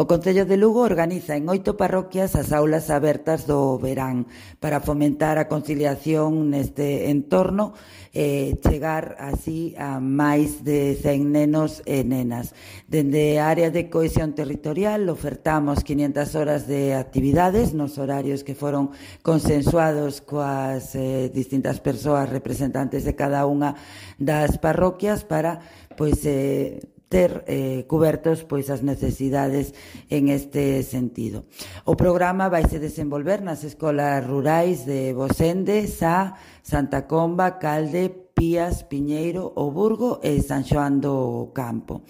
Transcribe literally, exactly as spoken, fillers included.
O Concello de Lugo organiza en oito parroquias as aulas abertas do verán para fomentar a conciliación neste entorno e chegar así a máis de cen nenos e nenas. Dende a área de cohesión territorial ofertamos quinientas horas de actividades nos horarios que foron consensuados coas eh, distintas persoas representantes de cada unha das parroquias para pois eh, ter eh, cubertos pois as necesidades en este sentido. O programa vaise desenvolver nas escolas rurais de Bosende, Sá, Santa Comba, Calde, Pías, Piñeiro, O Burgo e San Xoán do Campo.